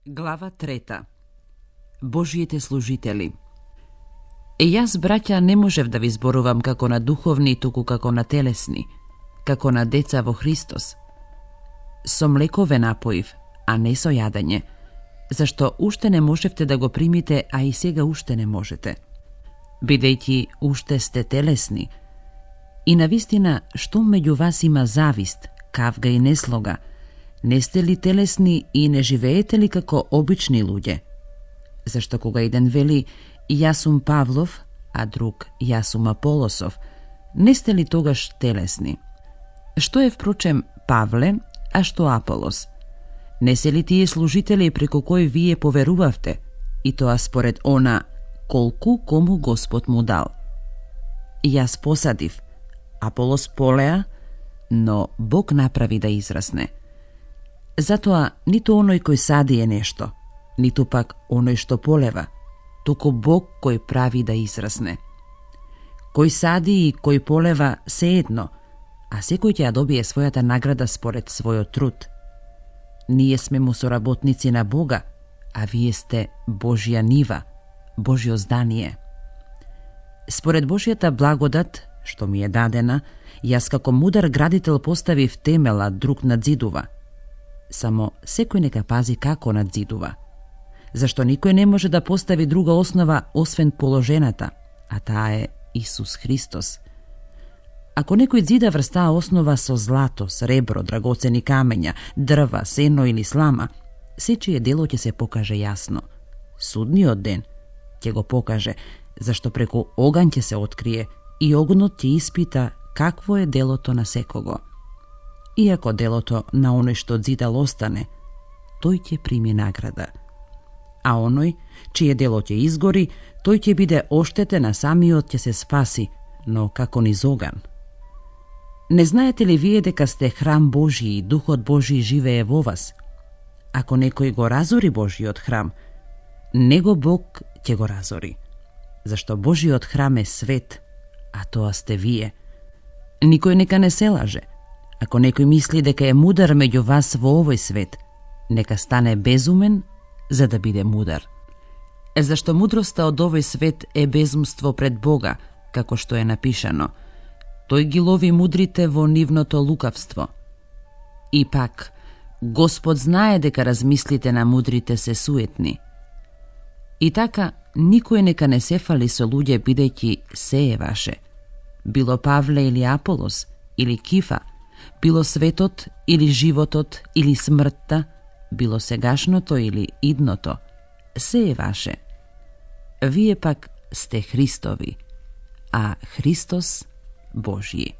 Глава 3. Божиите служители. Јас, браќа, не можев да ви зборувам како на духовни, туку како на телесни, како на деца во Христос. Со млеко ве напоив, а не со јадење, зашто уште не можевте да го примите, а и сега уште не можете. Бидејќи уште сте телесни. И навистина, што меѓу вас има завист, кавга и неслога, не сте ли телесни и не живеете ли како обични луѓе? Зашто кога еден вели јас сум Павлов, а друг јас сум Аполосов, не сте ли тогаш телесни? Што е впрочем Павле, а што Аполос? Не се ли тие служители преку кои вие поверувавте, и тоа според она колку кому Господ му дал? Јас посадив, Аполос полеа, но Бог направи да израсне. Затоа ниту оној кој сади е нешто, ниту пак оној што полева, туку Бог кој прави да израсне. Кој сади и кој полева се едно, а секој ќе ја добие својата награда според својот труд. Ние сме му соработници на Бога, а вие сте Божја нива, Божјо здание. Според Божјата благодат, што ми е дадена, јас како мудар градител поставив темела, друг надзидува. Само секој нека пази како надзидува, зашто никој не може да постави друга основа освен положената, а таа е Исус Христос. Ако некој зида врз таа основа со злато, сребро, драгоцени камења, дрва, сено или слама, сечие дело ќе се покаже јасно. Судниот ден ќе го покаже, зашто преку оган ќе се открие и огнот ќе испита какво е делото на секого. Иако делото на оној што зидал остане, тој ќе прими награда. А оној, чие дело ќе изгори, тој ќе биде оштетен, а самиот ќе се спаси, но како низ оган. Не знаете ли вие дека сте храм Божи и Духот Божи живее во вас? Ако некој го разори Божиот храм, него Бог ќе го разори. Зашто Божиот храм е свет, а тоа сте вие. Никој нека не се лаже. Ако некој мисли дека е мудар меѓу вас во овој свет, нека стане безумен за да биде мудар. Зашто мудроста од овој свет е безумство пред Бога, како што е напишано. Тој ги лови мудрите во нивното лукавство. И пак, Господ знае дека размислите на мудрите се суетни. И така, никој нека не се фали со луѓе, бидејќи се е ваше. Било Павле или Аполос, или Кифа, било светот или животот или смртта, било сегашното или идното, се е ваше. Вие пак сте Христови, а Христос Божји.